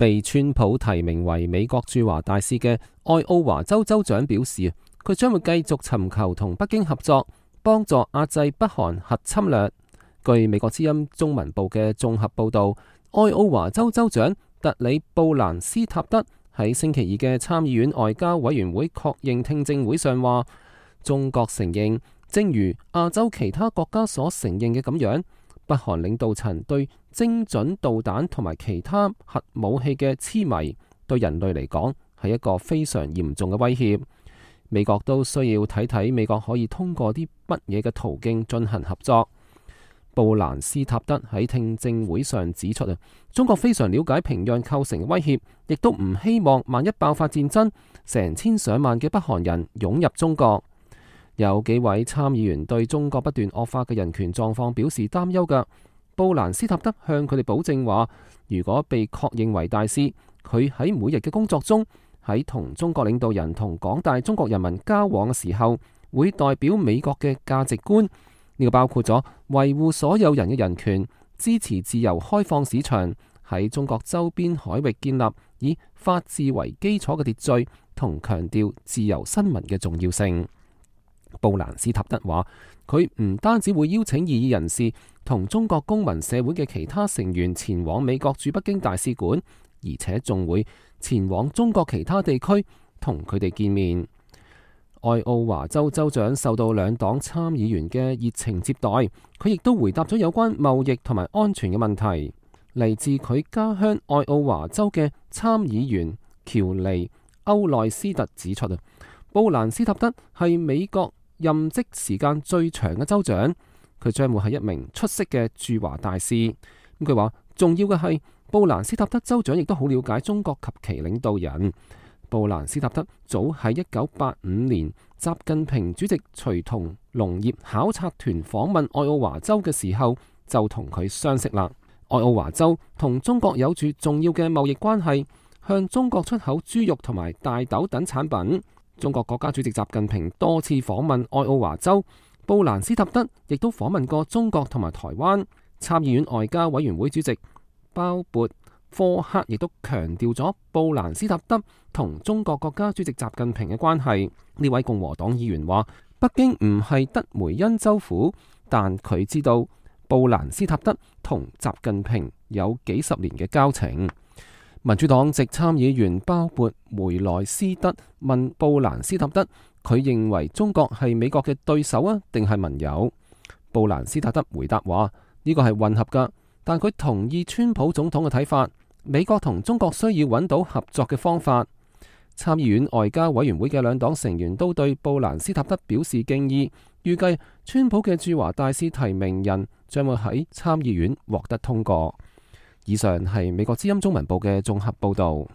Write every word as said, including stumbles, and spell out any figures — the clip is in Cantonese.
被川普提名為美國駐華大使嘅愛奧華州州長表示，佢將會繼續尋求同北京合作，幫助壓制北韓核侵略。據美國之音中文部嘅綜合報道，愛奧華州州長特里布蘭斯塔德喺星期二嘅參議院外交委員會確認聽證會上話，中國承認，正如亞洲其他國家所承認嘅咁樣，北韓領導層對精準導彈同埋其他核武器嘅痴迷，對人類嚟講係一個非常嚴重嘅威脅。美國都需要睇睇美國可以通過啲乜嘢嘅途徑進行合作。布蘭斯塔德喺聽證會上指出啊，中國非常了解平壤構成嘅威脅，亦都唔希望萬一爆發戰爭，成千上萬嘅北韓人湧入中國。有幾位參議員對中國不斷惡化嘅人權狀況表示擔憂㗎。布蘭斯塔德向佢哋保證話，如果被確認為大使，佢喺每日嘅工作中，喺同中國領導人同廣大中國人民交往嘅時候，會代表美國嘅價值觀。呢個包括咗維護所有人嘅人權，支持自由開放市場，喺中國周邊海域建立以法治為基礎嘅秩序，同強調自由新聞嘅重要性。布蘭斯塔德話，佢唔單止會邀請異議人士同中國公民社會嘅其他成員前往美國駐北京大使館，而且仲會前往中國其他地區同佢哋見面。愛奧華州州長受到兩黨參議員嘅熱情接待，佢亦都回答咗有關貿易同埋安全嘅問題。嚟自佢家鄉愛奧華州嘅參議員喬尼歐內斯特指出啊，布蘭斯塔德係美國任職時間最長嘅州長，佢將會係一名出色嘅駐華大使。咁佢話，重要嘅係布蘭斯塔德州長亦都好了解中國及其領導人。布蘭斯塔德早喺一九八五年，習近平主席隨同農業考察團訪問愛奧華州嘅時候，就同佢相識啦。愛奧華州同中國有住重要嘅貿易關係，向中國出口豬肉同埋大豆等產品。中國國家主席習近平多次訪問愛奧華州，布蘭斯塔德亦都訪問過中國同埋台灣。參議院外交委員會主席鮑勃科克亦都強調咗布蘭斯塔德同中國國家主席習近平嘅關係。呢位共和黨議員話，北京唔係德梅恩州府，但佢知道布蘭斯塔德同習近平有幾十年嘅交情。民主黨籍參議員鮑勃梅萊斯德問布蘭斯塔德，佢認為中國係美國嘅對手啊，定係盟友？布蘭斯塔德回答話，呢個係混合噶，但佢同意川普總統嘅睇法，美國同中國需要揾到合作嘅方法。參議院外交委員會嘅兩黨成員都對布蘭斯塔德表示敬意，預計川普嘅駐華大使提名人將會喺參議院獲得通過。以上係美國之音中文部嘅綜合報道。